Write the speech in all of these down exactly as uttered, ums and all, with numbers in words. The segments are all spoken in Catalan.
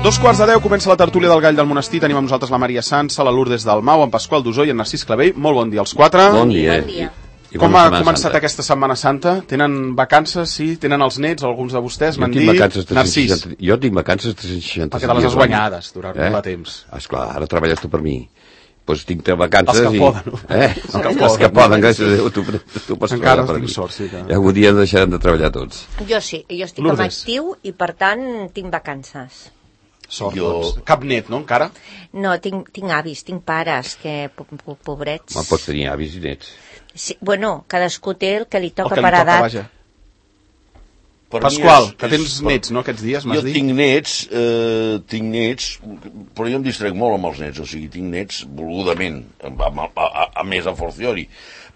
Dos quarts de deu comença la tertúlia del Gall del Monestir. Tenim amb nosaltres la Maria Sansa, la Lourdes Dalmau, en Pasqual Dusó i en Narcís Clavell. Molt bon dia als quatre. Bon dia. Bon dia. I com ha començat Santa. aquesta Setmana Santa? Tenen vacances, sí? Tenen els nets, alguns de vostès? Jo tinc vacances Narcís. Jo tinc vacances tres-cents seixanta. Perquè te les has guanyades durant eh? molt de temps. Esclar, ara treballes tu per mi. Doncs tinc vacances els que i... poden. Eh? Els que, els que poden, gràcies a Déu, tu, tu pots encara treballar per mi. Sort, sí, que... I algun dia deixarem de treballar tots. Jo sí, jo estic Lourdes. en actiu i per tant tinc vacances. Sort, jo... doncs. Cap net, no, encara? No, tinc, tinc avis, tinc pares, que po po pobrets... Home, pots tenir avis i nets. Sí, bueno, cadascú té el que li toca que li per toca, edat. vaja. Per Pasqual, és, que tens és, nets, no, aquests dies, m'has jo dit? tinc nets, eh, tinc nets, però jo em distrec molt amb els nets, o sigui, tinc nets voludament, a, a, a, a més a forciori.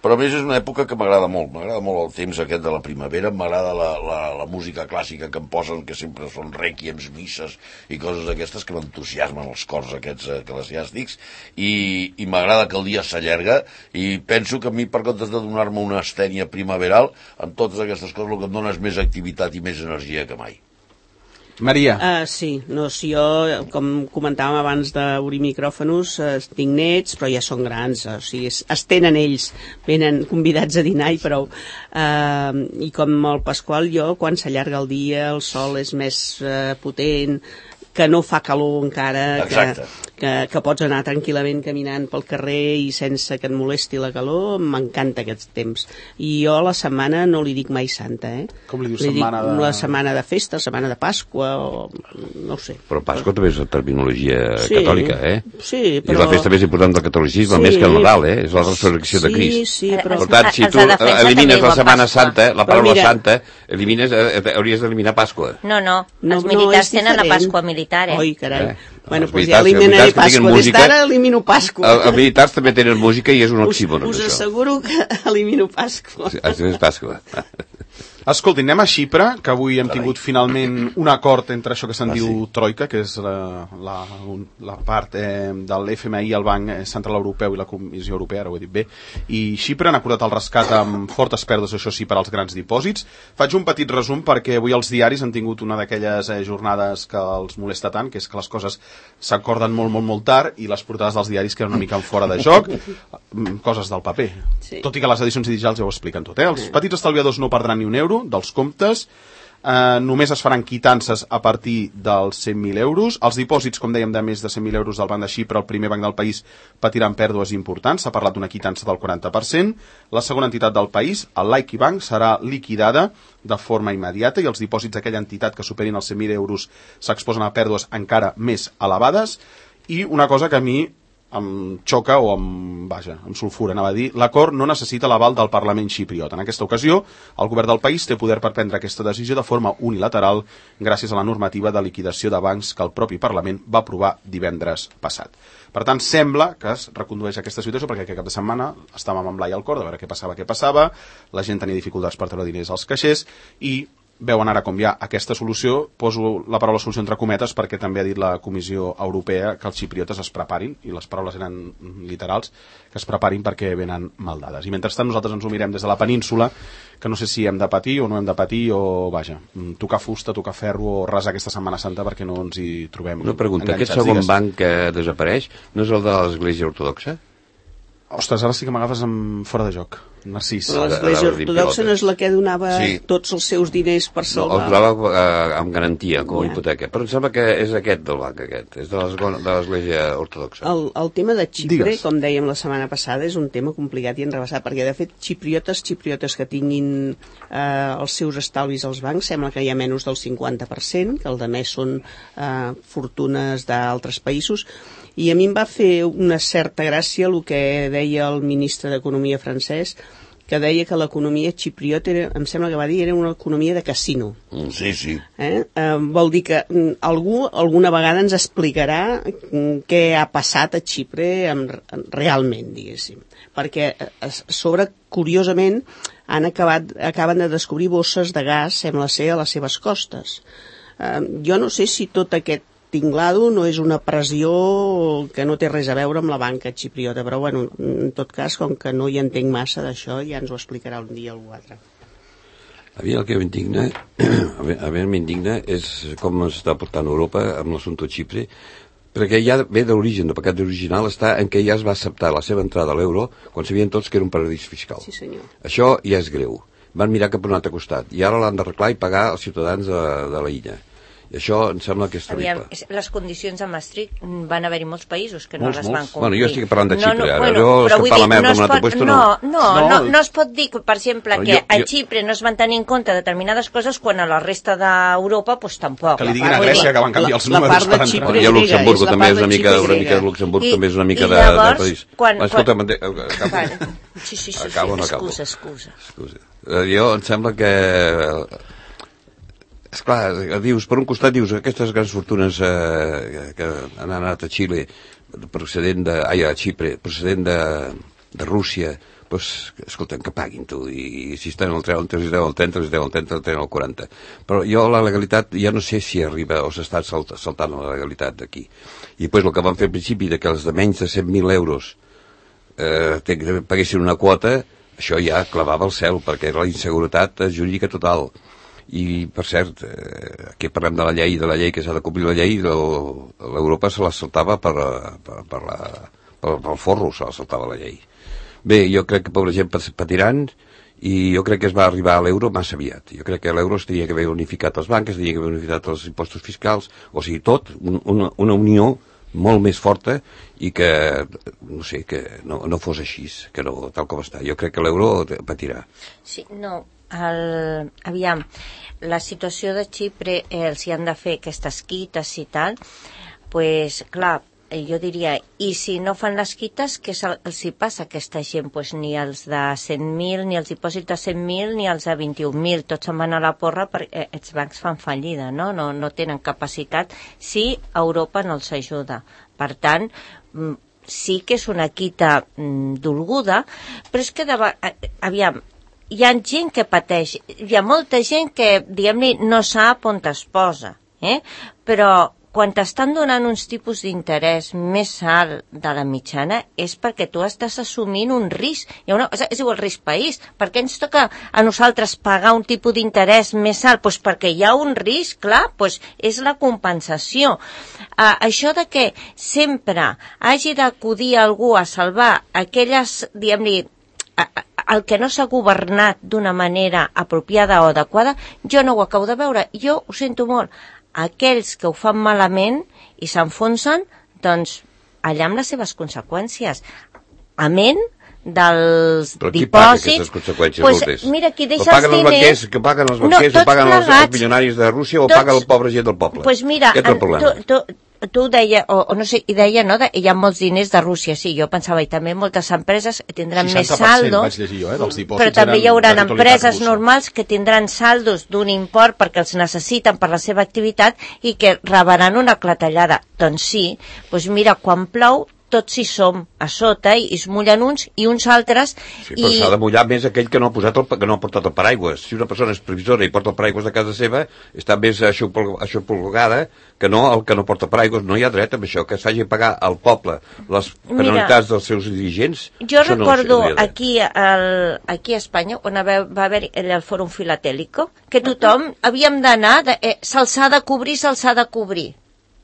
Però a més és una època que m'agrada molt, m'agrada molt el temps aquest de la primavera, m'agrada la, la, la música clàssica que em posen, que sempre són rèquiems, misses i coses d'aquestes que m'entusiasmen els cors aquests eclesiàstics, i, i m'agrada que el dia s'allarga, i penso que a mi, per comptes de donar-me una estènia primaveral, amb totes aquestes coses el que em dona és més activitat i més energia que mai. Maria. Uh, sí, no, si jo, com comentàvem abans d'obrir micròfonos, uh, tinc nets, però ja són grans, o sigui, es, es tenen ells, venen convidats a dinar i prou. Uh, I com el Pasqual, jo, quan s'allarga el dia, el sol és més uh, potent, que no fa calor encara, que, que, que pots anar tranquil·lament caminant pel carrer i sense que et molesti la calor, m'encanta aquest temps. I jo a la setmana no li dic mai santa, eh? Com li dius, li setmana dic de... la setmana de festa, setmana de Pasqua, o no ho sé. Però Pasqua també és la terminologia sí, catòlica, eh? Sí, però... I és la festa més important del catolicisme, sí, més que el Nadal, eh? És la resurrecció sí, de Crist. Sí, però... Per tant, si tu elimines la Setmana Santa, la paraula Santa, elimines, eh, hauries d'eliminar Pasqua. No, no, no els militars no, tenen la Pasqua militar, eh? Oi, carai. Eh? Bueno, doncs pues ja eliminaré Pasqua. Des d'ara elimino Pasqua. Els, els militars també tenen música i és un oxímoron, us, us això. Us asseguro que elimino Pasqua. Sí, és Pasqua. Escolti, anem a Xipre, que avui hem tingut finalment un acord entre això que se'n ah, diu sí. Troika, que és la, la, la part eh, de l'F M I, el Banc Central Europeu i la Comissió Europea, ara ho he dit bé, i Xipre han acordat el rescat amb fortes pèrdues, això sí, per als grans dipòsits. Faig un petit resum perquè avui els diaris han tingut una d'aquelles eh, jornades que els molesta tant, que és que les coses s'acorden molt, molt, molt tard i les portades dels diaris queden una mica en fora de joc, coses del paper. Sí. Tot i que les edicions digitals ja ho expliquen tot, eh? Els petits estalviadors no perdran ni un euro dels comptes, eh, només es faran quitances a partir dels cent mil euros. Els dipòsits, com dèiem, de més de cent mil euros del Banc de Xipre, el primer banc del país, patiran pèrdues importants. S'ha parlat d'una quitança del quaranta per cent. La segona entitat del país, el Laiki Bank, serà liquidada de forma immediata i els dipòsits d'aquella entitat que superin els cent mil euros s'exposen a pèrdues encara més elevades. I una cosa que a mi em xoca o em, vaja, em sulfura, anava a dir, l'acord no necessita l'aval del Parlament xipriot. En aquesta ocasió, el govern del país té poder per prendre aquesta decisió de forma unilateral gràcies a la normativa de liquidació de bancs que el propi Parlament va aprovar divendres passat. Per tant, sembla que es recondueix aquesta situació perquè aquest cap de setmana estàvem amb l'ai al cor de veure què passava, què passava, la gent tenia dificultats per treure diners als caixers i veuen ara com hi ha aquesta solució, poso la paraula solució entre cometes perquè també ha dit la Comissió Europea que els xipriotes es preparin, i les paraules eren literals, que es preparin perquè venen mal dades. I mentrestant nosaltres ens ho mirem des de la península, que no sé si hem de patir o no hem de patir, o vaja, tocar fusta, tocar ferro o resar aquesta Setmana Santa perquè no ens hi trobem. Una pregunta, aquest segon digues. banc que desapareix no és el de l'Església Ortodoxa? Ostres, ara sí que m'agafes amb fora de joc, Narcís. L'Església Ortodoxa no és la que donava sí. tots els seus diners per salvar? No, els donava eh, amb garantia, com a ja. hipoteca. Però em sembla que és aquest del banc, aquest. És de l'Església Ortodoxa. El, el tema de Xipre, Digues. com dèiem la setmana passada, és un tema complicat i enrebaçat, perquè de fet xipriotes, xipriotes que tinguin eh, els seus estalvis als bancs, sembla que hi ha menys del cinquanta per cent, que el de més són eh, fortunes d'altres països. I a mi em va fer una certa gràcia el que deia el ministre d'Economia francès, que deia que l'economia xipriota, era, em sembla que va dir, era una economia de casino. Sí, sí. Eh? Eh, vol dir que algú alguna vegada ens explicarà què ha passat a Xipre amb, realment, diguéssim. Perquè a sobre, curiosament, han acabat, acaben de descobrir bosses de gas, sembla ser, a les seves costes. Eh, jo no sé si tot aquest tinglado no és una pressió que no té res a veure amb la banca xipriota, però bueno, en tot cas, com que no hi entenc massa d'això, ja ens ho explicarà un dia algú altre. A mi el que m'indigna, a mi m'indigna és com s'està portant Europa amb l'assumpte de Xipre, perquè ja ve de l'origen, el pecat original està en què ja es va acceptar la seva entrada a l'euro quan sabien tots que era un paradís fiscal. Sí, senyor. Això ja és greu. Van mirar cap a un altre costat i ara l'han d'arreglar i pagar als ciutadans de, de la illa. I això em sembla que és terrible. Aviam, les condicions a Maastricht van haver-hi molts països que no molts, les molts. van complir. Bueno, jo estic parlant de Xipre, no, no, ara. Bueno, jo escapar la merda no en un altre pot, puesto no. no. No, no, No. no, no es pot dir, per exemple, Però que jo- a jo- Xipre no es van tenir en compte determinades coses quan a la resta d'Europa pues, tampoc. Que li diguin a Vull dir, Grècia que van canviar els la- la números part de per Xipre- entrar. I a grega, Luxemburg és la també part és una de mica, Xipre una mica de grega. Luxemburg I- també és una mica i de, llavors, de país. quan- Va, escolta, quan- mante- acabo. Vale. Sí, sí, sí, Acabo o no sí. acabo? Excusa, excusa. Excusa. Eh, jo em sembla que... Esclar, dius, per un costat dius, aquestes grans fortunes eh, que han anat a Xile procedent de... Ai, a Xipre, procedent de, de Rússia, doncs, escolta'm, que paguin tu, i, i si estan al tren, els deu el trenta, els deu el trenta, el tren el quaranta. Però jo la legalitat ja no sé si arriba o s'està salt, saltant la legalitat d'aquí. I després el que van fer al principi, de que els de menys de cent mil euros eh, que paguessin una quota, això ja clavava al cel, perquè era la inseguretat jurídica total. I, per cert, eh, aquí parlem de la llei, de la llei que s'ha de complir la llei, l'Europa se la saltava per, per, per la, per, pel forro, se la saltava la llei. Bé, jo crec que pobra gent patiran, i jo crec que es va arribar a l'euro massa aviat. Jo crec que l'euro es tenia que haver unificat els bancs, es tenia que haver unificat els impostos fiscals, o sigui, tot, un, una, una unió molt més forta i que, no sé, que no, no fos així, que no, tal com està. Jo crec que l'euro patirà. Sí, no, el, aviam, la situació de Xipre, eh, els hi han de fer aquestes quites i tal, pues, clar, jo diria, i si no fan les quites, què els hi passa a aquesta gent? Pues ni els de cent mil, ni els dipòsits de cent mil, ni els de vint-i-un mil, tots se'n van a la porra perquè els bancs fan fallida, no? No, no tenen capacitat si Europa no els ajuda. Per tant, sí que és una quita dolguda, però és que, de, aviam, hi ha gent que pateix, hi ha molta gent que, diguem-li, no sap on es posa, eh? Però quan t'estan donant uns tipus d'interès més alt de la mitjana és perquè tu estàs assumint un risc. Hi ha una, és igual risc país. Per què ens toca a nosaltres pagar un tipus d'interès més alt? Pues perquè hi ha un risc, clar, pues és la compensació. Uh, això de que sempre hagi d'acudir algú a salvar aquelles, diguem-li, el que no s'ha governat d'una manera apropiada o adequada, jo no ho acabo de veure. Jo ho sento molt. Aquells que ho fan malament i s'enfonsen, doncs allà amb les seves conseqüències. Amén dels però qui dipòsits... paga aquestes conseqüències, pues, Lourdes? mira, qui deixa o paguen els els diners... banquers, que paguen els banquers, no, o paguen els, plegats, els milionaris de Rússia, o tots, paga el pobre gent del poble? Pues mira, Aquest és el problema. tu, tu, tu deia, o, o no sé, i deia, no, de, hi ha molts diners de Rússia, sí, jo pensava, i també moltes empreses tindran més saldo, vaig llegir jo, eh, dels dipòsits però també hi haurà de titularitat empreses russa. normals que tindran saldos d'un import perquè els necessiten per la seva activitat i que rebaran una clatellada. Doncs sí, doncs mira, quan plou, tots hi som a sota i es mullen uns i uns altres. Sí, però i... s'ha de mullar més aquell que no ha, posat el, que no ha portat el paraigües. Si una persona és previsora i porta el paraigües de casa seva, està més aixopolgada que no el que no porta paraigües. No hi ha dret amb això, que s'hagi de pagar al poble les penalitats dels seus dirigents. Jo recordo no, no aquí, al, aquí a Espanya, on va haver el Fòrum Filatèlico, que tothom havíem d'anar, eh, se'ls ha de cobrir, se'ls ha de cobrir.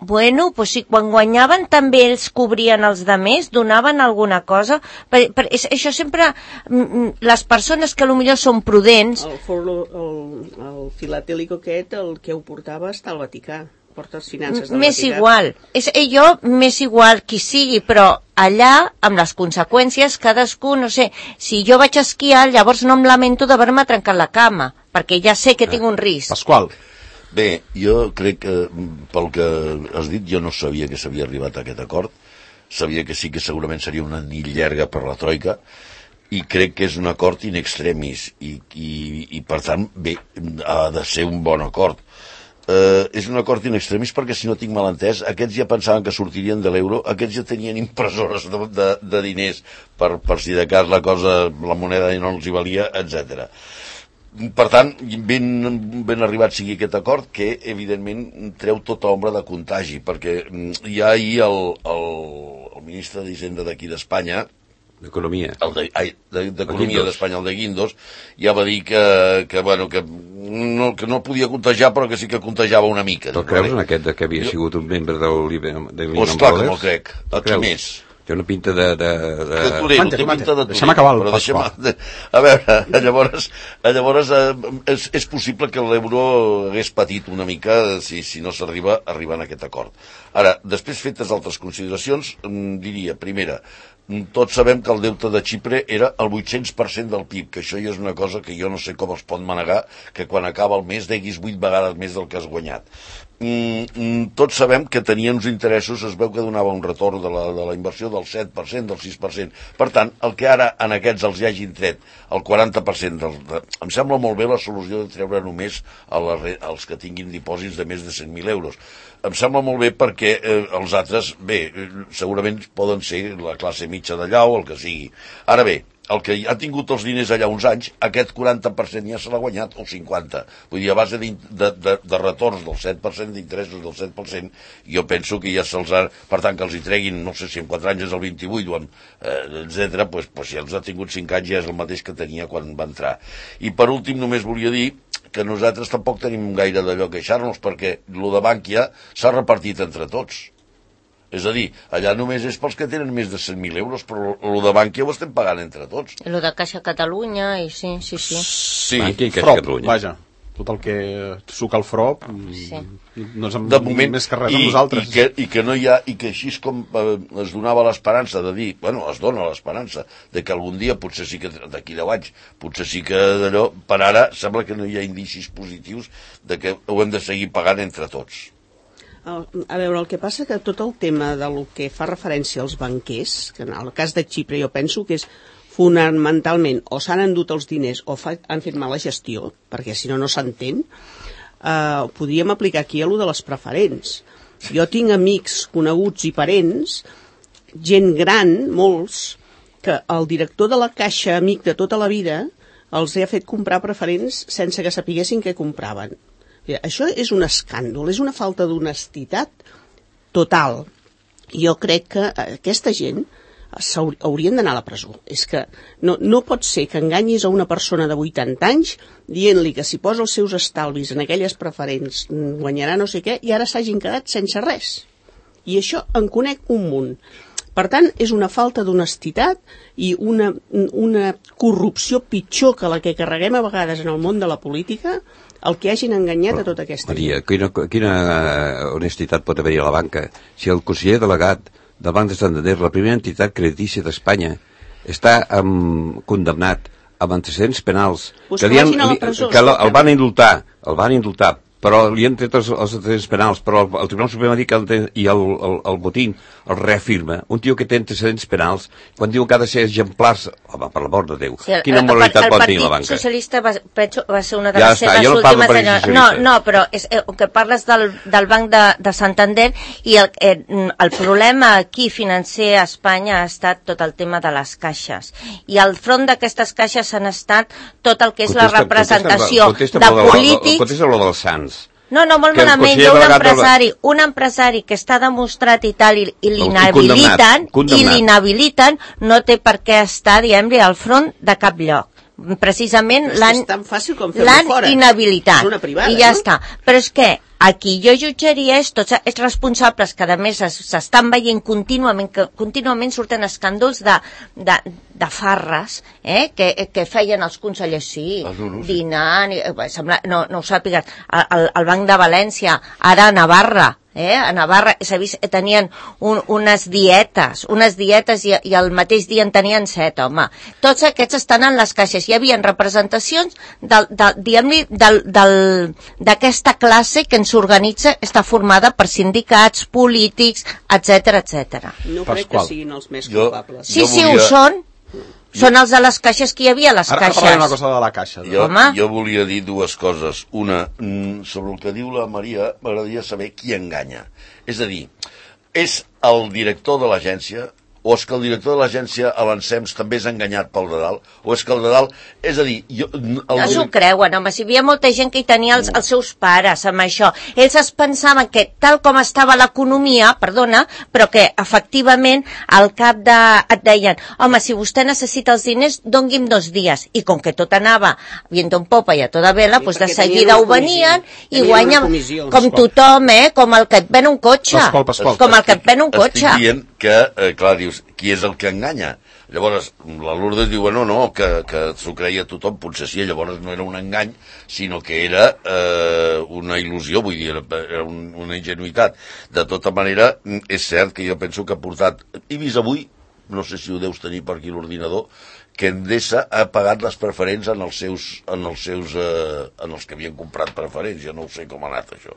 Bueno, pues si quan guanyaven també ells cobrien els demés, donaven alguna cosa. Per, per, és, això sempre, mm, les persones que potser són prudents... El, foro, el, el filatèlico aquest, el que ho portava, està al Vaticà. Porta les finances del Més Vaticà. igual. És, eh, jo, més igual qui sigui, però allà, amb les conseqüències, cadascú, no sé, si jo vaig esquiar, llavors no em lamento d'haver-me trencat la cama, perquè ja sé que tinc un risc. Pasqual. Bé, jo crec que, pel que has dit, jo no sabia que s'havia arribat a aquest acord. Sabia que sí que segurament seria una nit llarga per la Troika, i crec que és un acord in extremis, i, i, i per tant, bé, ha de ser un bon acord. Eh, és un acord in extremis perquè, si no tinc mal entès, aquests ja pensaven que sortirien de l'euro, aquests ja tenien impressores de, de, de diners per, per si de cas la cosa, la moneda no els hi valia, etcètera. Per tant, ben, ben arribat sigui aquest acord, que evidentment treu tota ombra de contagi, perquè hi ha ahir el, el, el ministre d'Hisenda d'aquí d'Espanya, D'economia. El de, ai, de, d'Economia d'Espanya, el de Guindos, ja va dir que, que, bueno, que, no, que no podia contagiar, però que sí que contagiava una mica. Te'l creus en aquest que havia sigut un membre del Lehman Brothers? Ostres, que me'l crec. A qui més? Té una pinta de... de, de... de torero, té pinta de torero. Deixa'm acabar el deixa'm, de, a veure, llavors, llavors eh, és, és possible que l'euro hagués patit una mica si, si no s'arriba arriba en aquest acord. Ara, després fetes altres consideracions, diria, primera, tots sabem que el deute de Xipre era el vuit-cents per cent del P I B, que això ja és una cosa que jo no sé com es pot manegar, que quan acaba el mes deguis vuit vegades més del que has guanyat. Mm, tots sabem que tenien uns interessos, es veu que donava un retorn de la, de la inversió del set per cent, del sis per cent. Per tant, el que ara en aquests els hi hagin tret el quaranta per cent del, de, em sembla molt bé la solució de treure només a la, als que tinguin dipòsits de més de cent mil euros. Em sembla molt bé perquè eh, els altres, bé, segurament poden ser la classe mitja d'allà o el que sigui. Ara bé, el que ha tingut els diners allà uns anys, aquest quaranta per cent ja se l'ha guanyat, o cinquanta per cent. Vull dir, a base de, de, de, de retorns del set per cent, d'interessos del set per cent, jo penso que ja se'ls ha... Per tant, que els hi treguin, no sé si en quatre anys és el vint-i-vuit, o en, eh, etcètera, doncs, doncs si els ha tingut cinc anys ja és el mateix que tenia quan va entrar. I per últim només volia dir que nosaltres tampoc tenim gaire d'allò a queixar-nos, perquè lo de Bankia s'ha repartit entre tots. És a dir, allà només és pels que tenen més de cent mil euros, però el de Bankia ho estem pagant entre tots. I el de Caixa Catalunya, i sí, sí, sí. Sí, Bankia i Caixa Frop, Catalunya. Vaja, tot el que suca el frop, sí. no és amb, de moment, més que res i, amb nosaltres. I que, I que no hi ha, i que així és com eh, es donava l'esperança de dir, bueno, es dona l'esperança de que algun dia, potser sí que d'aquí deu anys, potser sí que d'allò, per ara sembla que no hi ha indicis positius de que ho hem de seguir pagant entre tots. A veure, el que passa que tot el tema del que fa referència als banquers, que en el cas de Xipre jo penso que és fonamentalment o s'han endut els diners o fa, han fet mala gestió, perquè si no no s'entén, eh, podríem aplicar aquí a lo de les preferents. Jo tinc amics coneguts i parents, gent gran, molts, que el director de la Caixa, amic de tota la vida, els ha fet comprar preferents sense que sapiguessin què compraven. Això és un escàndol, és una falta d'honestitat total. Jo crec que aquesta gent haurien d'anar a la presó. És que no, no pot ser que enganyis a una persona de vuitanta anys dient-li que si posa els seus estalvis en aquelles preferents guanyarà no sé què i ara s'hagin quedat sense res. I això en conec un munt. Per tant, és una falta d'honestitat i una, una corrupció pitjor que la que carreguem a vegades en el món de la política, el que hagin enganyat a tota aquesta Maria, gent. Quina, quina honestitat pot haver-hi a la banca si el conseller delegat del Banc de Santander, la primera entitat creditícia d'Espanya, està um, condemnat amb antecedents penals Pues que, que, li han, vagin a la li, presó, que el, el van indultar, el van indultar, però li han tret els, els antecedents penals, però el, el Tribunal Suprem ha dit que el, i el, el, el botín el reafirma. Un tio que té antecedents penals, quan diu que ha de ser exemplars, home, per l'amor de Déu, sí, el, quina moralitat el, el, pot tenir la banca? El Partit Socialista va, penso, va ser una de ja les està, seves no últimes... Partit No, no, però és, eh, que parles del, del Banc de, de Santander i el, eh, el problema aquí financer a Espanya ha estat tot el tema de les caixes. I al front d'aquestes caixes han estat tot el que és contesta, la representació contesta, contesta de polítics... Contesta lo dels Sants. No, no, molt malament. Hi ha un empresari, un empresari que està demostrat i tal, i, i l'inhabiliten, i l'inhabiliten, no té per què estar, diguem-li, al front de cap lloc. Precisament l'han inhabilitat. Privada, i ja no? està. Però és que aquí jo jutjaria és tots els responsables que a més s'estan veient contínuament, que contínuament surten escàndols de, de, de farres, eh? que, que feien els consellers, sí, ah, no, no, dinant, i, sembla, no, no ho sàpigues, el, el Banc de València, ara a Navarra, eh? a Navarra s'ha vist, tenien un, unes dietes, unes dietes i, i el mateix dia en tenien set, home. Tots aquests estan en les caixes. Hi havia representacions del, del, diguem-li, del, del, d'aquesta classe que ens organitza, està formada per sindicats, polítics, etcètera, etcètera. No crec que siguin els més jo, culpables. Sí, jo sí, volia... ho són. Són els de les caixes que hi havia, les ara, caixes. Ara parlarem una cosa de la caixa. Jo, jo volia dir dues coses. Una, sobre el que diu la Maria, m'agradaria saber qui enganya. És a dir, és el director de l'agència o és que el director de l'agència Avancems també és enganyat pel de dalt, o és que el de dalt... És a dir... Jo, el no s'ho creuen, home, si hi havia molta gent que hi tenia els, els seus pares amb això. Ells es pensaven que tal com estava l'economia, perdona, però que efectivament al cap de... et deien, home, si vostè necessita els diners, dongui'm dos dies. I com que tot anava viento en popa i a toda vela, doncs de seguida ho venien i guanyen com tothom, eh? Com el que et ven un cotxe. Com el que et ven un cotxe. Estic dient que, eh, clar, dius, qui és el que enganya? Llavors, la Lourdes diu, no, no, que, que s'ho creia tothom, potser sí, llavors no era un engany, sinó que era eh, una il·lusió, vull dir, era un, una ingenuïtat. De tota manera, és cert que jo penso que ha portat... He vist avui, no sé si ho deus tenir per aquí l'ordinador, que Endesa ha pagat les preferents en els seus, en els seus, eh, en els que havien comprat preferents, jo no ho sé com ha anat això.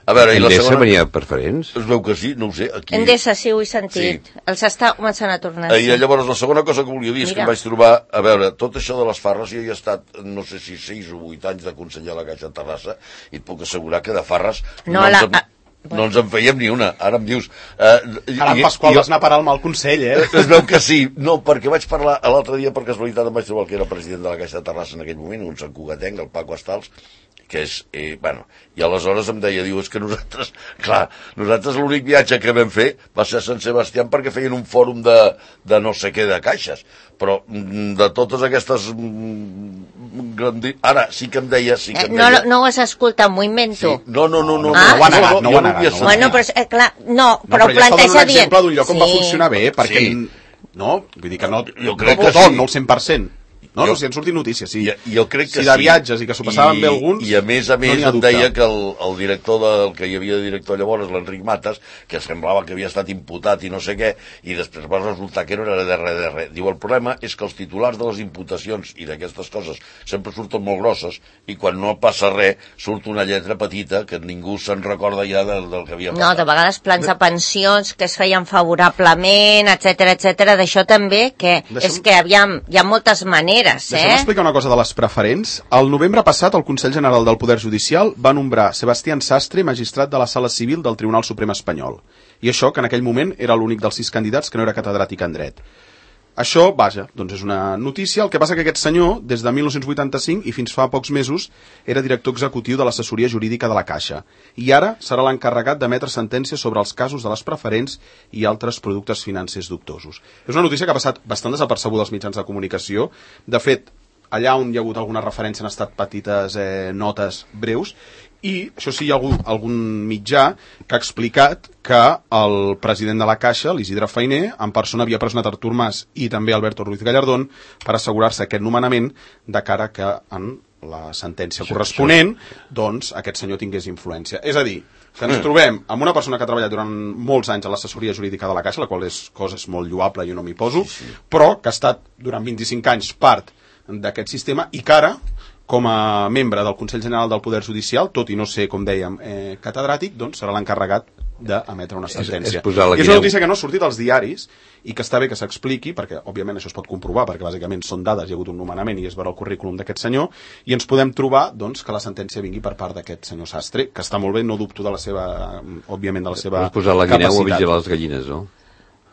A veure, Endesa i la segona... venia preferents? Es veu que sí, no ho sé. Aquí... Endesa sí, ho he sentit. Sí. Els està començant a tornar. I sí. Llavors, la segona cosa que volia dir és Mira. que em vaig trobar, a veure, tot això de les farres, jo hi he estat, no sé si sis o vuit anys de conseller a la Caixa de Terrassa, i et puc assegurar que de farres... No, no la... Em... No ens en fèiem ni una. Ara em dius... Eh, Ara en Pasqual jo... vas anar a parar al mal consell, eh? Es veu que sí. No, perquè vaig parlar l'altre dia, per casualitat em vaig trobar el que era president de la Caixa de Terrassa en aquell moment, un Sant Cugatenc, el Paco Estals, que és... Eh, bueno, i aleshores em deia, diu, és que nosaltres... Clar, nosaltres l'únic viatge que vam fer va ser a Sant Sebastià perquè feien un fòrum de, de no sé què de caixes. Però de totes aquestes... Grandi... Ara sí que em deia... Sí que em no, deia... no ho has escoltat, m'ho invento. Sí. No, no, no. no, ah? no ho ha negat, no ho ha negat. No, bueno, però, eh, clar, no, però, no, però planteja ja dient... exemple d'un lloc on sí. va funcionar bé, perquè... Sí. No, vull dir que no... Jo crec no, que sí. No el cent per cent. No, jo, no, si han sortit notícies, sí. Jo, jo crec que si de sí. viatges i que s'ho passaven I, bé alguns... I a més a més no em deia que el, el director del que hi havia de director llavors, l'Enric Mates, que semblava que havia estat imputat i no sé què, i després va resultar que no era de res de res. Diu, el problema és que els titulars de les imputacions i d'aquestes coses sempre surten molt grosses i quan no passa res surt una lletra petita que ningú se'n recorda ja del, del que havia passat. No, de vegades plans de pensions que es feien favorablement, etcètera, etcètera, d'això també, que Deixa'm... és que aviam, hi ha moltes maneres, eh? Deixa'm explicar una cosa de les preferents. El novembre passat, el Consell General del Poder Judicial va nombrar Sebastián Sastre magistrat de la Sala Civil del Tribunal Suprem Espanyol. I això, que en aquell moment era l'únic dels sis candidats que no era catedràtic en dret. Això, vaja, doncs és una notícia. El que passa que aquest senyor, des de mil nou-cents vuitanta-cinc i fins fa pocs mesos, era director executiu de l'assessoria jurídica de la Caixa. I ara serà l'encarregat d'emetre sentències sobre els casos de les preferents i altres productes financers dubtosos. És una notícia que ha passat bastant desapercebuda als mitjans de comunicació. De fet, allà on hi ha hagut alguna referència han estat petites eh, notes breus, i això sí, hi ha hagut algun mitjà que ha explicat que el president de la Caixa, l'Isidre Fainé, en persona havia pressionat Artur Mas i també Alberto Ruiz Gallardón per assegurar-se aquest nomenament de cara que en la sentència sí, corresponent doncs aquest senyor tingués influència. És a dir, que ens trobem amb una persona que ha treballat durant molts anys a l'assessoria jurídica de la Caixa, la qual és cosa és molt lloable, jo no m'hi poso, sí, sí. però que ha estat durant vint-i-cinc anys part d'aquest sistema i que ara, com a membre del Consell General del Poder Judicial, tot i no ser, com dèiem, eh, catedràtic, doncs serà l'encarregat d'emetre una sentència. És, és I és una notícia que no ha sortit als diaris i que està bé que s'expliqui, perquè òbviament això es pot comprovar, perquè bàsicament són dades, hi ha hagut un nomenament i es veurà el currículum d'aquest senyor, i ens podem trobar doncs, que la sentència vingui per part d'aquest senyor Sastre, que està molt bé, no dubto de la seva, òbviament, de la seva capacitat. Has posat la guineu a vigilar les gallines, no?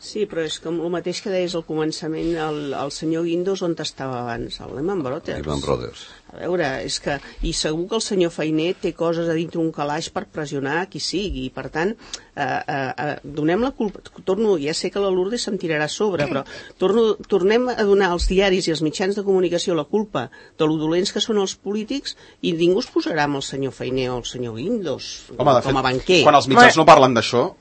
Sí, però és que el mateix que deies al començament, el, el senyor Guindos on estava abans? El Lehman Brothers. Lehman Brothers. A veure, és que... I segur que el senyor Fainé té coses a dintre un calaix per pressionar qui sigui, i per tant, eh, eh, donem la culpa... Torno, ja sé que la Lourdes se'm tirarà a sobre, però torno, tornem a donar als diaris i als mitjans de comunicació la culpa de lo dolents que són els polítics i ningú es posarà amb el senyor Fainé o el senyor Guindos Home, de com a fet, banquer. Quan els mitjans no parlen d'això,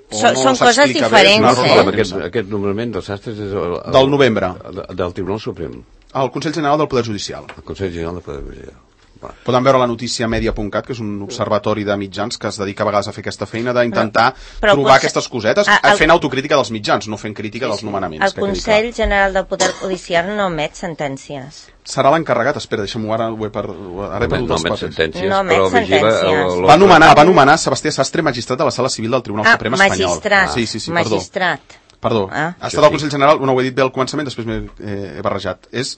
So, no són coses diferents, no, eh? Aquest, aquest nomenament dels Sastres és el, el, del novembre el, del Tribunal Suprem, al Consell General del Poder Judicial. El Consell General del Poder Judicial. Va. Poden veure la notícia media punt cat, que és un observatori de mitjans que es dedica a vegades a fer aquesta feina d'intentar trobar potser... aquestes cosetes, a, el... fent autocrítica dels mitjans, no fent crítica sí, dels nomenaments. El Consell General del Poder Judicial no emet sentències. Serà l'encarregat, espera, deixa'm-ho ara, ho he per, ara he perdut no les coses. Sentències, no emet sentències. Va nomenar, va nomenar Sebastià Sastre magistrat de la Sala Civil del Tribunal ah, Suprem Espanyol. Magistrat. Ah, sí, sí, sí, magistrat. Perdó. Perdó, ah. ha estat al Consell General, no ho he dit bé al començament, després m'he eh, barrejat. És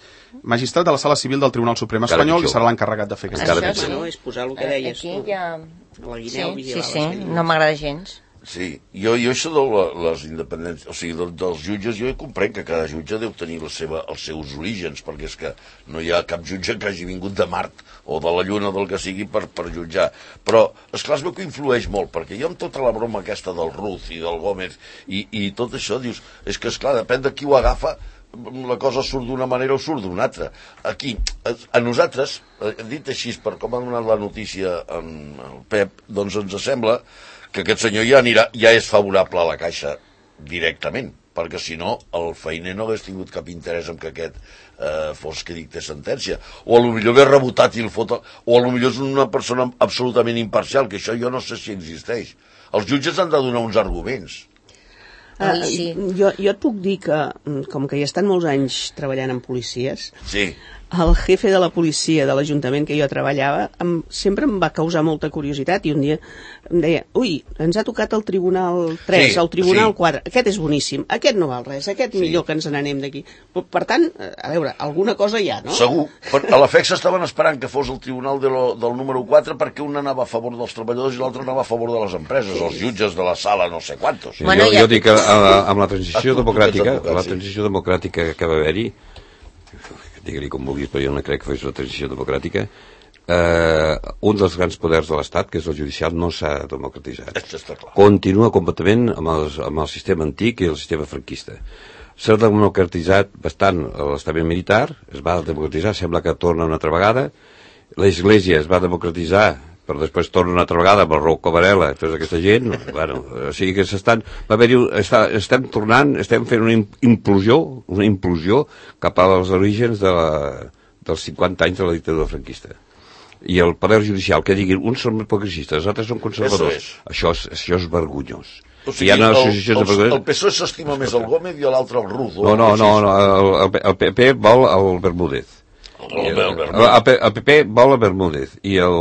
magistrat de la Sala Civil del Tribunal Suprem Espanyol i serà l'encarregat de fer aquesta sentència. No, és posar el que deies Aquí tu. Ja... La guineu sí, sí, sí, no m'agrada gens. Sí, jo, jo això de la, les independències, o sigui, de, dels jutges, jo comprenc que cada jutge deu tenir la seva, els seus orígens, perquè és que no hi ha cap jutge que hagi vingut de Mart o de la Lluna, del que sigui, per, per jutjar. Però, esclar, es veu que influeix molt, perquè jo amb tota la broma aquesta del Ruz i del Gómez i, i tot això, dius, és que, esclar, depèn de qui ho agafa, la cosa surt d'una manera o surt d'una altra. Aquí, a, a nosaltres, dit així, per com ha donat la notícia en el Pep, doncs ens sembla que aquest senyor ja anirà, ja és favorable a la Caixa directament, perquè si no el feiner no hagués tingut cap interès en que aquest eh, fos que dictés sentència, o a lo millor hagués rebotat i el fot, o a lo millor és una persona absolutament imparcial, que això jo no sé si existeix. Els jutges han de donar uns arguments. Uh, Ai, sí. jo, jo et puc dir que, com que ja estan molts anys treballant en policies, Sí. el jefe de la policia de l'Ajuntament que jo treballava em, sempre em va causar molta curiositat i un dia em deia, ui, ens ha tocat el Tribunal tres, Sí, el Tribunal sí. quatre, aquest és boníssim, aquest no val res, aquest Sí. millor que ens n'anem d'aquí. Per tant, a veure, alguna cosa hi ha, no? Segur. Per, a la F E C s'estaven esperant que fos el tribunal de lo, del número quatre perquè un anava a favor dels treballadors i l'altre anava a favor de les empreses, sí. Els jutges de la sala no sé quantos. Bueno, jo, ja- jo dic que a- amb la transició Ah, tu- tu democràtica, ets advocat, la sí. transició democràtica que va haver-hi, digue-li com vulguis, però jo no crec que fos una transició democràtica, eh, un dels grans poders de l'Estat, que és el judicial, no s'ha democratitzat. Això està clar. Continua completament amb, els, amb el sistema antic i el sistema franquista. S'ha democratitzat bastant l'estament militar, es va democratitzar, sembla que torna una altra vegada, l'Església es va democratitzar, però després torna una altra vegada amb el Rouco Varela, tota aquesta gent, bueno, o sigui que s'estan, va haver-hi, està, estem tornant, estem fent una implosió, una implosió cap als orígens de la, dels cinquanta anys de la dictadura franquista. I el poder judicial, que diguin, uns són progressistes, els altres són conservadors. Eso és. Això és, això és vergonyós. O sigui, Hi ha el, associacions de el, el P S O E s'estima més el Gómez i l'altre el Ruz. No, no, no, no el, el P P vol el Bermúdez. El, el, el, El, el, el P P vol el Bermúdez i el...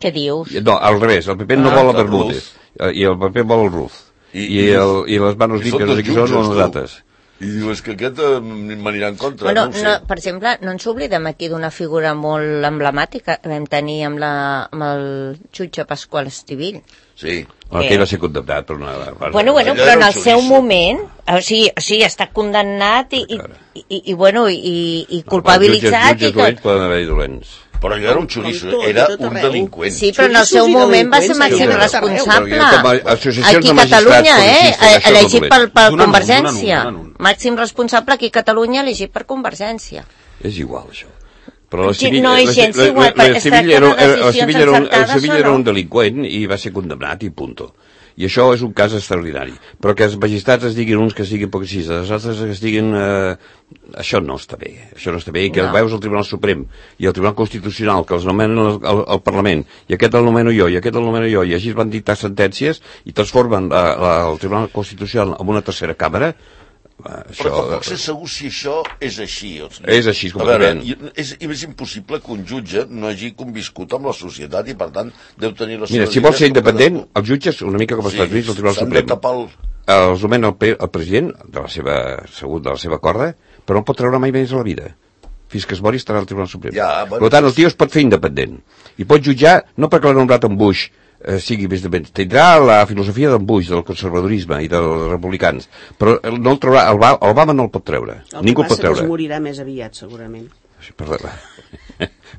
Què dius? No, al revés, el P P no Ah, vol el el Bermúdez i el P P vol el Ruz. I- I, i- el, i les manos i limpias són no dos sé qui són jutges, tu. nosaltres. I diu, és que aquest eh, m'anirà en contra. Bueno, no, ho sé. no, per exemple, no ens oblidem aquí d'una figura molt emblemàtica que vam tenir amb, la, amb el jutge Pasqual Estivill. Sí. El que va ser condemnat per una... Bueno, bueno, allò però era en un el seu xoriço. moment, o sigui, o sigui està condemnat i, i, i, i bueno, i, i Els culpabilitzat jutges i dolents tot. poden haver-hi dolents. Però allò era un xoriço, Com tot, era tot un arreu. delinqüent. Sí, però en el seu Xoriços i moment va ser delinqüents, màxim allò era tot arreu. responsable. Però jo, com a associacions Aquí de a magistrats Catalunya, eh? progressistes, això és Elegit per, per Donen un, Convergència. donen un, donen un. Màxim responsable aquí a Catalunya, elegit per Convergència. És igual, això. Però la Sí, Sevilla, no és la- gens la- igual, la- perquè la es Sevilla tracta era, de era, la decisions Sevilla era, un, el encertades Sevilla o era no? un delinqüent i va ser condemnat i punto. I això és un cas extraordinari. Però que els magistrats es diguin uns que siguin progressistes, els altres que es diguin... Eh, això no està bé. Això no està bé. I que No. veus el Tribunal Suprem i el Tribunal Constitucional, que els nomenen al, al, al Parlament, i aquest el nomeno jo, i aquest el nomeno jo, i així es van dictar sentències i transformen la, la, el Tribunal Constitucional en una tercera càmera. Eh, Però això, tampoc sé segur si això és així. O sigui, És així, a veure, completament. i- és, és impossible que un jutge no hagi conviscut amb la societat i, per tant, deu tenir les Mira, seves si vols ser idees com independent, cadascú. els jutges, una mica com els Estats Units, el Tribunal s'han de Suprem, tapar el... els nomena el, pe- el president de la seva, segut de la seva corda, però no pot treure mai més a la vida. Fins que es mori estarà al Tribunal Suprem. Ja, bueno, per tant, el tio es pot fer independent. I pot jutjar, no perquè l'ha nombrat en Bush, eh, sigui més de menys. Tindrà la filosofia d'en Bush, del conservadorisme i dels republicans, però no el traurà, el Obama, el Obama no el pot treure. El Ningú que el pot passa que treure. es morirà més aviat, segurament. Perdó.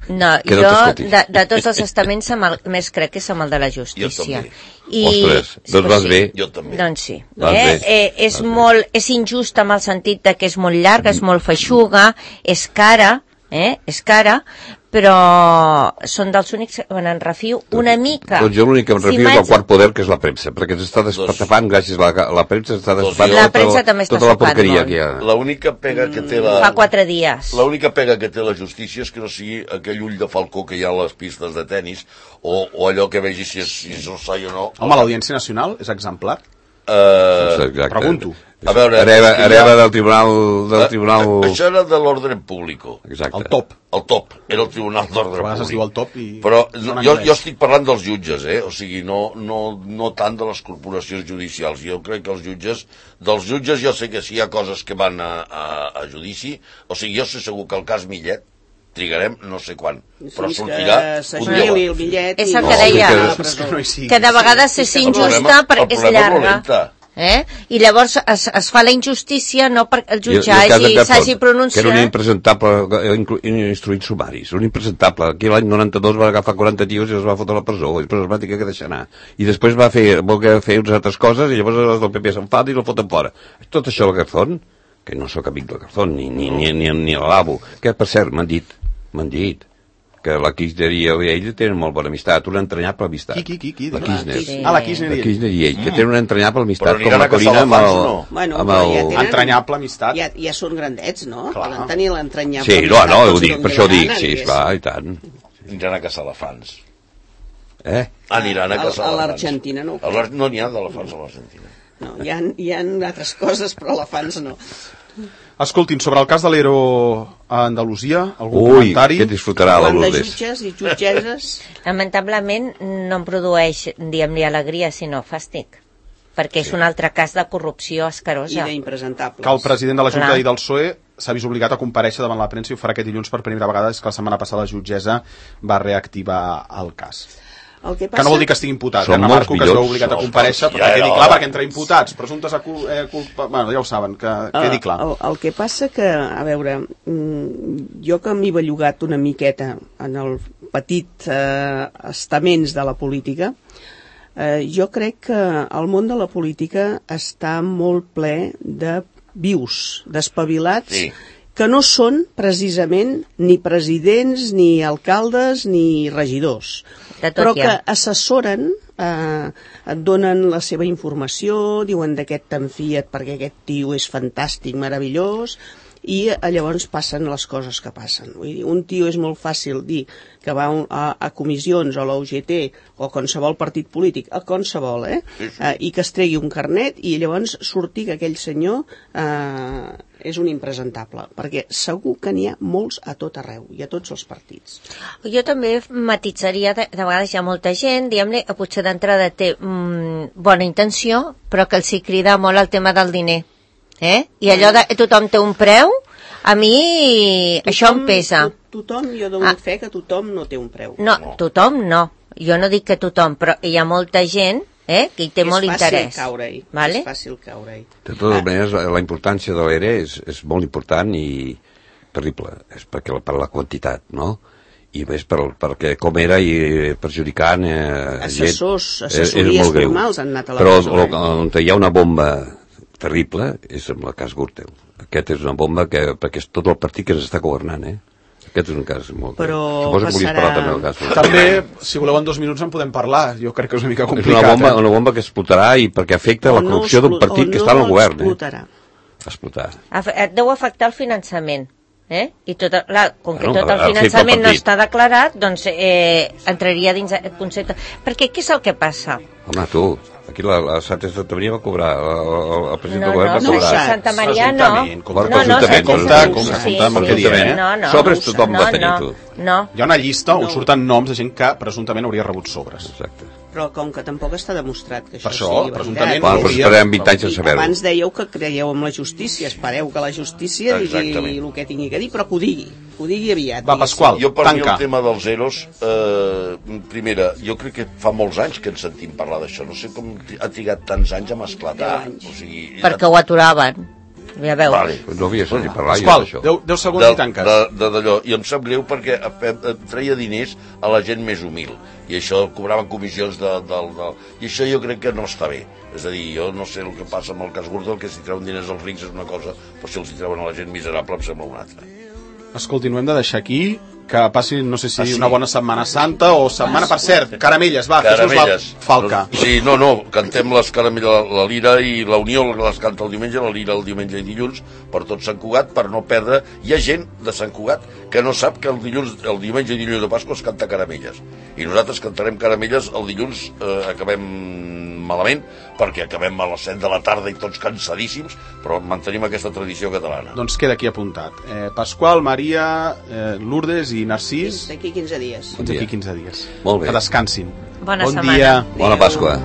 No, Que no jo t'escolti. de, de tots els estaments amb el, més crec que és amb el de la justícia. també. Ostres, doncs vas bé. Jo també. Doncs sí. Vas Eh? bé. Eh, és, Vas bé. molt, és injust amb el sentit de que és molt llarga, és molt feixuga, és cara, eh? és cara, però són dels únics que me n'en refio una mica. Doncs jo l'únic que em Si refio és m'haig- el quart poder, que és la premsa, perquè ens està despatapant, gràcies a la, la premsa, està Doncs despatapant jo- La tota, premsa també està tota la sopant porqueria molt. que hi ha. L'única pega que té la... Fa quatre dies. L'única pega que té la justícia és que no sigui aquell ull de falcó que hi ha a les pistes de tennis o, o allò que vegi si és, si és offside o no. Home, l'Audiència Nacional és exemplar. Eh, Exacte. Pregunto. A veure, hereva, és que hi ha- hereva del tribunal, del eh, tribunal... Això era de l'ordre público. Exacte. El top. El top, era el tribunal d'ordre A vegades es públic. diu el top i... Però sona jo, anglès. jo estic parlant dels jutges, eh? O sigui, no, no, no tant de les corporacions judicials. Jo crec que els jutges, dels jutges jo sé que si hi ha coses que van a, a, a judici, o sigui, jo sé segur que el cas Millet, trigarem no sé quan, però Fins sortirà que s'agili el bitllet És i el que no, deia. que- És que no hi sigui. Que de vegades és El problema- injusta el perquè és problema és lo llarga. lenta. Eh? I llavors es, es fa la injustícia no perquè el I- i jutge el cas de hagi- Garzón, s'hagi que era un pronunciat. impresentable, eh, inclu- instruït sumaris, un impresentable. Aquí l'any noranta-dos va agafar quaranta tios i els va fotre a la presó, i després es va tenir que deixar anar. I després va fer, voler fer unes altres coses, i llavors els del P P s'enfada i el foten fora. Tot això el Garzón, que no sóc amic del Garzón, ni, ni, ni, ni, ni l'Alabo, que per cert, m'han dit, m'han dit, que la Kirchner i ell tenen molt bona amistat, una entranyable amistat. Qui, qui, qui? qui La dius? Kirchner. Sí. Ah, la Kirchner La i ell. Kirchner i ell, que tenen una entranyable amistat, Però com aniran la a casar Corina amb el... elefants, no? Bueno, amb però el... ja tenen- Entranyable amistat. Ja, ja són grandets, no? Clar. Poden tenir l'entranyable Sí, no, amistat no, ho tots dic, com per això ho li dic, gana, sí, diguéssim. esclar, i tant. Aniran a caçar elefants. Eh? Aniran a A- caçar a elefants. l'Argentina no ho A l'Ar- No n'hi ha d'elefants a l'Argentina. No, hi ha, hi ha altres coses, però elefants no. Escoltin, sobre el cas de l'Ero a Andalusia, algun Ui, comentari? que disfrutarà la Parlant de Lourdes. jutges i jutgesses, Lamentablement no em produeix, diguem-li, alegria, sinó fàstic. Perquè és un altre cas de corrupció i escarosa. d'impresentables. Que el president de la Junta Clar. i del P S O E s'ha vist obligat a comparèixer davant la premsa i ho farà aquest dilluns per primera vegada, és que la setmana passada la jutgessa va reactivar el cas. El que, Que passa, no vol dir que estigui imputat, Són eh? Ana molts Marco, que es veu milions. obligat a Són comparèixer, molts. però Ja quedi era clar, hora. perquè entre imputats, presumptes a cul eh, culpa... Bueno, ja ho saben, que quedi clar. El, el que passa que, a veure, mm, jo que m'hi bellugat una miqueta en el petit eh, estaments de la política, eh, jo crec que el món de la política està molt ple de vius, d'espavilats, Sí. que no són precisament ni presidents, ni alcaldes, ni regidors, De tot però hi que ha. assessoren, eh, et donen la seva informació, diuen d'aquest te'n fia't perquè aquest tio és fantàstic, meravellós, i eh, llavors passen les coses que passen. Vull dir, un tio és molt fàcil dir que va a, a comissions o la U G T o qualsevol partit polític, a qualsevol, eh? eh i que es tregui un carnet i llavors surti que aquell senyor eh, és un impresentable, perquè segur que n'hi ha molts a tot arreu i a tots els partits. Jo també matitzaria, de, de vegades hi ha molta gent, diguem-ne, que potser d'entrada té mm, bona intenció, però que els hi crida molt el tema del diner. Eh? I allò de tothom té un preu, a mi tothom, això em pesa. To, tothom, jo dono Ah. fe que tothom no té un preu. No, tothom no. Jo no dic que tothom, però hi ha molta gent eh, que hi té I molt és fàcil interès. caure-hi. Vale? És fàcil caure-hi. De totes maneres, la, la importància de l'E R E és, és molt important i terrible, és perquè per la quantitat, no? I més per, perquè com era i perjudicant eh, Assessors, gent, assessories és molt greu. formals han anat a la Però presó. lo- on hi ha una bomba terrible és amb el cas Gürtel. Aquest és una bomba que, perquè és tot el partit que s'està governant, eh? Aquest és un cas molt Però greu. Suposo que volies passarà- parlar també del cas. També, si voleu en dos minuts en podem parlar, jo crec que és una mica És complicat. una bomba, eh? una bomba que explotarà i perquè afecta O la no corrupció d'un explo- partit o que no està en el govern. Eh? explotarà. Explotar. Af- et Deu afectar el finançament. Eh? I tot, clar, com que Bueno, tot el el fet del finançament no partit. està declarat, doncs eh, entraria dins aquest concepte. Perquè què és el que passa? Home, tu, aquí la, la Santa Santa Maria va cobrar, el, el president No, del govern no, va no, cobrar. Santa- Santa Maria no. Ajuntament, No, compte, no, ajuntament, compte, sí, compte, sí, compte amb el que sí, diem, eh? No, no, Sobres tothom no, va tenir, no, tu. No, Hi ha una llista on No. surten noms de gent que presumptament hauria rebut sobres. Exacte. Però com que tampoc està demostrat que això, Per això, sigui presumptament, veritat. Bueno, però hauria- esperem vint anys I sense saber-ho. abans dèieu que creieu en la justícia, espereu que la justícia digui Exactament. el que tingui que dir, però que ho digui, que ho digui aviat. Va, diguéssim. Pasqual, Jo per tanca. mi el tema dels zeros, eh, primera, jo crec que fa molts anys que ens sentim parlar d'això, no sé com ha trigat tants anys a esclatar. Deu anys. O sigui, perquè ho aturaven. Ja veus. Vale. No havia sentit parlar jo Pasqual, d'això. deu, deu segons de, i tanques. de, de, d'allò. I em sap greu perquè eh, eh, treia diners a la gent més humil i això cobraven comissions de, de, de, i això jo crec que no està bé. És a dir, jo no sé el que passa amb el cas Gürtel, que si treuen diners als rics és una cosa, però si els hi treuen a la gent miserable em sembla una altra. Escolti, no hem de deixar aquí, que passi, no sé si Ah, sí? una bona Setmana Santa o setmana, per cert, caramelles, va, fes-nos la Caramelles. falca. Sí, no, no, cantem les caramelles, la, la Lira i la Unió les canta el diumenge, la Lira el diumenge i dilluns, per tot Sant Cugat, per no perdre. Hi ha gent de Sant Cugat que no sap que el dilluns, el diumenge i dilluns de Pasqua es canta caramelles. I nosaltres cantarem caramelles el dilluns, eh, acabem malament, perquè acabem a les set de la tarda i tots cansadíssims, però mantenim aquesta tradició catalana. Doncs queda aquí apuntat. Eh, Pasqual, Maria, eh, Lourdes i Narcís, D'aquí quinze dies. fins aquí quinze dies. Molt bé. Que descansin. Bona bon setmana. dia. Bona Pasqua.